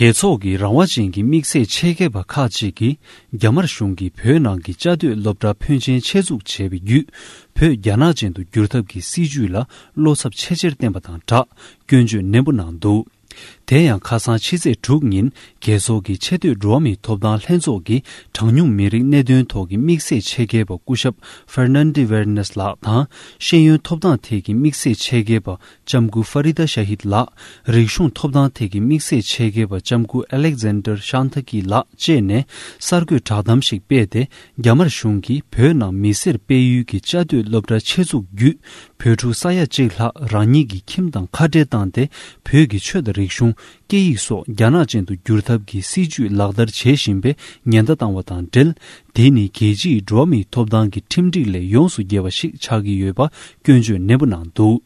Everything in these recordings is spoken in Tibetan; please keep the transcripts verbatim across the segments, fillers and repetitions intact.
རྒྱལ་ཚོགས་ཀྱི་རང་དབང་ཅན་གྱི་དམིགས་བསལ་ཆེད་མཁས་པ་ཁག་ཅིག་གིས། རྒྱ་དམར་གཞུང་གིས་བོད་ནང་གི་བཅའ་སྡོད་སློབ་གྲྭ་ཕོན་ཆེན་ཆེད་འཛུགས་བྱས་པའི་བརྒྱུད། བོད་རྒྱ་ནག་ཅན་དུ་བསྒྱུར་ཐབས་ཀྱི་སྲིད་བྱུས་ལ་བློ་འཚབ་ཆེས་ཆེར་བསྟན་པ་དང་སྦྲགས། སྐྱོན་བརྗོད་ནན་པོ་གནང་འདུག་དེ་ཡང་ཁ་སང་ཕྱི་ཚེས་དྲུག་ཉིན། རྒྱལ་ཚོགས་ཀྱི་ཆེས་མཐོའི་འགྲོ་བ་མིའི་ཐོབ་ཐང་ལྷན་ཚོགས་ཀྱིས། གྲངས་ཉུང་མི་རིགས་གནད་དོན་ཐོག་གི་དམིགས་བསལ་ཆེད་མཁས་པ་སྐུ་ཞབས་Fernande Vernes ལགས་དང་། ཤེས་ཡོན་ཐོབ་ཐང་ཐད་ཀྱི་དམིགས་བསལ་ཆེད་མཁས་པ། ལྕམ་སྐུ་ཧྥ་རི་ད་ཤ་ཧིད་ལགས། རིག་གཞུང་ཐོབ་ཐང་ཐད་ཀྱི་དམིགས་བསལ་ཆེད་མཁས་པ་ལྕམ་སྐུ་ཨ་ལེག་ཛན་ཌར་ཤཱན་ཐ་ཀི་ལགས་བཅས་ནས་གསར་འགོད་བསྒྲགས་གཏམ་ཞིག་སྤེལ་ཏེ། རྒྱ་དམར་གཞུང་གིས་བོད་ནང་མི་སེར་སྤེལ་ཡུལ་གྱི་བཅའ་སྡོད་སློབ་གྲྭ་ཆེད་འཛུགས་བརྒྱུད། བོད་ཕྲུག་ས་ཡ་གཅིག་ལྷག་རང་ཉིད་ཀྱི་ཁྱིམ་དང་ཁ་བྲལ་བཏང་སྟེ། བོད་ཀྱི་ཆོས་དང་རིག་གཞུང་། སྐད་ཡིག་སོགས་རྒྱ་ནག་ཅན་དུ་བསྒྱུར་ཐབས་ཀྱི་སྲིད་བྱུས་ལག་བསྟར་བྱེད་བཞིན་པའི་ཉེན་བརྡ་བཏང་བ་དང་འབྲེལ། དེ་ནི་རྒྱལ་སྤྱིའི་འགྲོ་བ་མིའི་ཐོབ་ཐང་གི་ཁྲིམས་སྒྲིག་ལས་ཡོངས་སུ་འགལ་བ་ཞིག་ཆགས་ཀྱི་ཡོད་པ་སྐྱོན་བརྗོད་ནན་པོ་གནང་འདུག་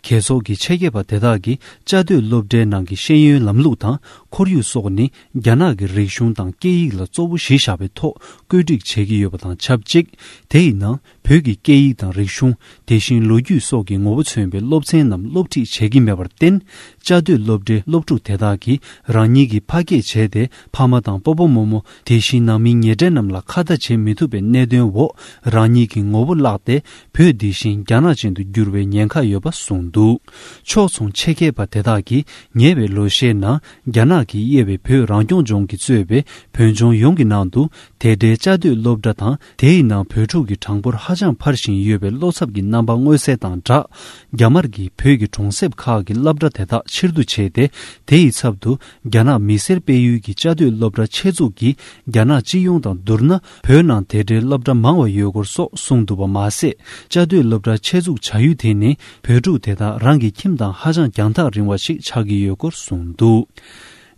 རྒྱལ་ཚོགས་ཀྱི་ཆེད་མཁས་པ་དེ་དག་གིས་བཅའ་སྡོད་སློབ་གྲྭའི་ནང་གི་ཤེས་ཡོན་ལམ་ལུགས་དང་ཁོར་ཡུག་སོགས་ནི་རྒྱ་ནག་གི་རིག་གཞུང་དང་སྐད་ཡིག་ལ་གཙོ་བོ་གཞི་བཞག་པའི་ཐོག་བཀོད་སྒྲིག་བྱེད་ཀྱི་ཡོད་པ་དང་ཆབས་ཅིག་དེ་ཡི་ནང་བོད་ཀྱི་སྐད་ཡིག་དང་རིག་གཞུང་། དེ་བཞིན་ལོ་རྒྱུས་སོགས་ཀྱི་ངོ་བོ་མཚོན་པའི་སློབ་ཚན་རྣམས་སློབ་ཁྲིད་བྱེད་ཀྱི་མེད་པར་བརྟེན། བཅའ་སྡོད་སློབ་གྲྭའི་སློབ་ཕྲུག་དེ་དག་གིས་རང་ཉིད་ཀྱིས་ཕ་སྐད་བྱས་ཏེ་ཕ་མ་དང་སྤོ་བོ་རྨོ་མོ། དེ་བཞིན་ནང་མི་ཉེ་འབྲེལ་རྣམས་ལ་ཁ་བརྡ་བྱེད་མི་ཐུབ་པའི་གནད་དོན་འོག་རང་ཉིད་ཀྱི་ངོ་བོ་བརླགས་ཏེ། བོད་འདི་བཞིན་རྒྱ་ནག་ཅན་དུ་འགྱུར་བའི་ཉེན་ཁ་ཡོད་པ་གསུངས་འདུག་ཕྱོགས་མཚུངས་ཆེད་མཁས་པ་དེ་དག་གིས་ཉེ་བའི་ལོ་ཤས་ནང་རྒྱ་ནག་གིས་དབྱེ་བའི་བོད་རང་སྐྱོང་ལྗོངས་ཀྱིས་གཙོས་པའི་བོད་ལྗོངས་ཡོངས་ཀྱི་ནང་དུ། དེ་འདྲའི་བཅའ་སྡོད་སློབ་གྲྭ་དང་། དེའི་ནང་བོད་ཕྲུག་གི་གྲངས་འབོར་ཧ་ཅང་འཕར་བཞིན་ཡོད་པའི་བློ་འཚབ་ཀྱི་རྣམ་པ་མངོན་གསལ་དང་སྦྲགས། རྒྱ་དམར་གྱིས་བོད་ཀྱི་གྲོང་གསེབ་ཁག་གི་སློབ་གྲྭ་དེ་དག་ཕྱིར་བསྡུ་བྱས་ཏེ། དེ་ཡི་ཚབ་ཏུ། རྒྱ་ནག་མི་སེར་སྤེལ་ཡུལ་གྱི་བཅའ་སྡོད་སློབ་གྲྭ་ཆེད་འཛུགས་ཀྱིས། རྒྱ་ནག་སྤྱི་ཡོངས་དང་བསྡུར་ན། བོད་ནང་དེ་འདྲའི་སློབ་གྲྭ་མང་བ་ཡོད་སྐོར་སོགས་གསུངས་འདུག་པ་མ་ཟད། བཅའ་སྡོད་སློབ་གྲྭ་ཆེད་འཛུགས་བྱ་ཡུལ་དེ་ནི། བོད་ཕྲུག་དེ་དག་རང་གི་ཁྱིམ་དང་ཧ་ཅང་རྒྱང་ཐག་རིང་བ་ཞིག་ཆགས་ཀྱི་ཡོད་སྐོར་གསུངས་འདུག་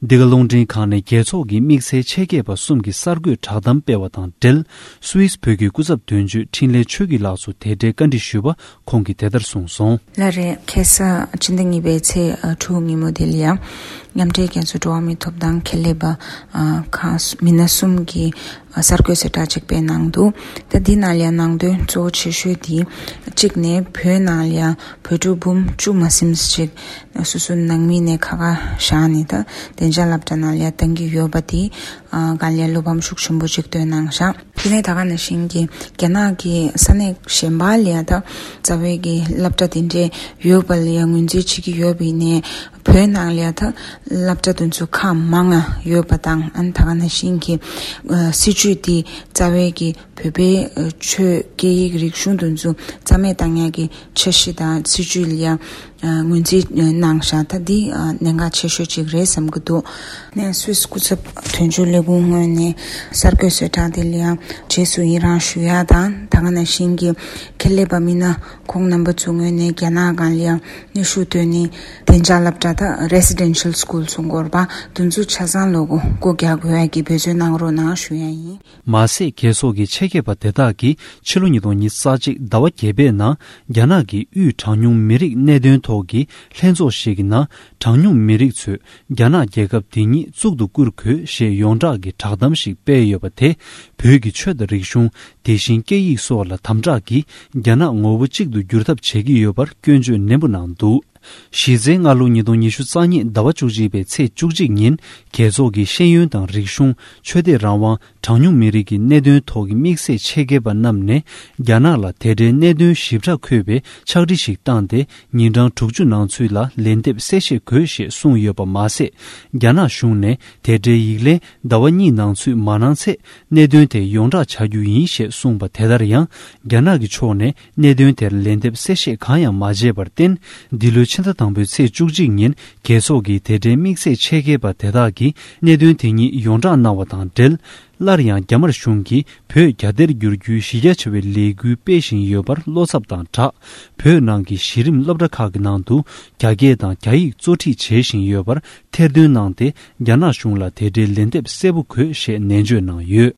འདི་ག་རླུང་འཕྲིན་ཁང་ནས་རྒྱལ་ཚོགས་ཀྱི་དམིགས་བསལ་ཆེད་མཁས་པ་གསུམ་གྱི་གསར་འགོད་བསྒྲགས་གཏམ་སྤེལ་བ་དང་འབྲེལ། སུད་སི་བོད་ཀྱི་སྐུ་ཚབ་དོན་གཅོད་འཕྲིན་ལས་ཆོས་སྐྱིད་ལགས་སུ་དེ་འབྲེལ་བཀའ་འདྲི་ཞུས་པ། ཁོང་གིས་དེ་ལྟར་གསུངས་སོང་། ལགས་རེད། ཁ་སང་ཕྱི་ཟླ་གཉིས་པའི་ཚེས་དྲུག་ཉིན་མོ་དེ་ལ་ཡང་མཉམ་འབྲེལ་རྒྱལ་ཚོགས་འགྲོ་བ་མིའི་ཐོབ་ཐང་ཁེ་ལས་པ་ཁག་མི་སྣ་གསུམ་གྱིས་གསར་འགོད་གསལ་བསྒྲགས་ཅིག་སྤེལ་གནང་འདུག་ད་འདི་ནང་ལ་ཡང་ནང་དོན་གཙོ་བོ་ཆེ་ཤོས་དེ། གཅིག་ནས་བོད་ནང་ལ་ཡང་བོད་ཕྲུག་འབུམ་བཅུ་མ་ཟིན་ཅིག་སོ་སོ་ནང་མི་ནས་ཁ་ཁ་བཞག་ནས། ད་བདེ་འཇགས་སློབ་གྲྭ་ནང་ལ་ཡང་བཏང་གི་ཡོད་པ་དེ་སྒང་ལ་ཡང་བློ་ཕམ་ཤུགས་ཆེན་པོ་ཅིག་བཏོན་གནང་བཞག་དེ་ནས་ད་ག་ནང་བཞིན་གྱི་རྒྱ་ནག་གི་ས་གནས་གཞན་པ་ལ་ཡང་ད་རྩ་བའི་གི་སློབ་གྲྭ་དེ་འདྲས་ཡོད་པ་ལ་ཡང་ངོས་འཛིན་བྱེད་ཀྱི་ཡོད་པ་ཡིན་ནའི། བོད་ནང་ལ་ཡང་ད་སློབ་གྲྭ་དེ་ཚོ་ཁག་མང་ང་ཡོད་པ་དང་། ཨ་ནི་ད་ག་ནང་བཞིན་གྱི་སྲིད་བྱུས་དེ་རྩ་བའི་གི་བོད་པའི་ཆོས་སྐད་ཡིག་རིག་གཞུང་དེ་ཚོ་རྩ་མེད་བཏང་ཡག་གི་འཆར་གཞི་དང་སྲིད་བྱུས་ལ་ཡང་ངོས་འཛིན་གནང་བཞག་ད་འདི་གནད་འགག་ཆེ་ཤོས་ཅིག་རེད་བསམ་གྱི་འདུག་ནས་སུད་སི་སྐུ་ཚབ་དོན་གཅོད་ལས་ཁུངས་ངོས་ནས་གསར་འགོད་གསལ་བསྒྲགས་དེ་ལ་ཡང་རྗེས་སུ་ཡི་རང་ཞུ་ཡག་དང་། ད་ག་ནང་བཞིན་གྱི་ཁེ་ལས་པ་མི་སྣ་ཁོང་རྣམ་པ་ཚོའི་ངོས་ནས་རྒྱ་ནག་སྒང་ལ་ཡང་གནོན་ཤུགས་བཏོན་ནས་བདེ་འཇགས་སློབ་གྲྭ་དང་residential school ཚོ་འགོར་པ་དེ་ཚོ་ཆ་ཚང་ལོག་སྒོ་རྒྱག་དགོས་ཡག་གི་འབད་བརྩོན་གནང་རོགས་གནང་ཞུ་ཡག་ཡིན། མ་ཟད། རྒྱལ་ཚོགས་ཀྱི་ཆེད་མཁས་པ་དེ་དག་གིས་ཕྱི་ལོ་ཉིས་སྟོང་ཉི་ཤུ་རྩ་གཅིག་ཟླ་བ་བརྒྱད་པའི་ནང་རྒྱ་ནག་གི་དབུས་གྲངས་ཉུང་མི་རིགས་གནད་དོན་ཐོག་གི་ལྷན་ཚོགས་ཤིག་གི་ནང་། གྲངས་ཉུང་མི་རིགས་ཚོས་རྒྱ་ནག་རྒྱལ་ཁབ་དེ་ཉིད་གཙུག་ཏུ་བཀུར་དགོས་ཞེས་ཡོངས་གྲགས་ཀྱི་བསྒྲགས་གཏམ་ཞིག་སྤེལ་ཡོད་པ་དེ། བོད་ཀྱི་ཆོས་དང་རིག་གཞུང་། དེ་བཞིན་སྐད་ཡིག་སོགས་ལ་དམ་དྲག་གིས་རྒྱ་ནག་ངོ་བོ་གཅིག་ཏུ་བསྒྱུར་ཐབས་བྱེད་ཀྱི་ཡོད་པར་སྐྱོན་བརྗོད་ནན་པོ་གནང་འདུག་གཞི་རྩའི་སྔ་ལོ་ཉིས་སྟོང་ཉི་ཤུ་རྩ་གཉིས་ཟླ་བ་བཅུ་གཅིག་པའི་ཚེས་བཅུ་གཅིག་ཉིན། རྒྱལ་ཚོགས་ཀྱི་ཤེས་ཡོན་དང་རིག་གཞུང་། ཆོས་དད་རང་དབང་། གྲངས་ཉུང་མི་རིགས་ཀྱི་གནད་དོན་ཐོག་གི་དམིགས་བསལ་ཆེད་མཁས་པ་རྣམས་ནས། རྒྱ་ནག་ལ་དེ་འབྲེལ་གནད་དོན་ཞིབ་ཕྲ་འཁོད་པའི་ཕྱག་བྲིས་ཤིག་བཏང་སྟེ། ཉིན་གྲངས་དྲུག་ཅུ་ནང་ཚུད་ལ་ལན་འདེབས་གསལ་བཤད་དགོས་ཞེས་གསུངས་ཡོད་པ་མ་ཟད། རྒྱ་ནག་གཞུང་ནས་དེ་འབྲེལ་ཡིག་ལན་ཟླ་བ་གཉིས་ནང་ཚུད་མ་གནང་ཚེ། གནད་དོན་དེ་ཡོངས་བསྒྲགས་བྱ་རྒྱུ་ཡིན་ཞེས་གསུངས་པ་དེ་ལྟར་ཡང་། རྒྱ་ནག་གི་ཕྱོགས་ནས། གནད་དོན་དེར་ལན་འདེབས་གསལ་བཤད་གང་ཡང་མ་བྱས་པར་བརྟེན། འདི་ལོའི་ཕྱི་ཟླ་དང་པོའི་ཚེས་བཅུ་གཅིག་ཉིན། རྒྱལ་ཚོགས་ཀྱི་དེ་འབྲེལ་དམིགས་བསལ་ཆེད་མཁས་པ་དེ་དག་གིས་གནད་དོན་དེ་ཉིད་ཡོངས་བསྒྲགས་གནང་བ་དང་འབྲེལ། སླར་ཡང་རྒྱ་དམར་གཞུང་གིས་བོད་རྒྱ་སྡེར་བསྒྱུར་རྒྱུའི་གཞི་རྒྱ་ཆེ་བའི་ལས་འགུལ་སྤེལ་བཞིན་ཡོད་པར་བློ་འཚབ་དང་སྦྲགས། བོད་ནང་གི་གཞི་རིམ་སློབ་གྲྭ་ཁག་གི་ནང་དུ་རྒྱ་སྐད་དང་རྒྱ་ཡིག་གཙོ་ཁྲིད་བྱེད་བཞིན་ཡོད་པར་ཐེར་འདོན་གནང་སྟེ། རྒྱ་ནག་གཞུང་ལ་དེ་འབྲེལ་ལན་འདེབས་གསལ་པོ་དགོས་ཞེས་ནན་བརྗོད་གནང་ཡོད།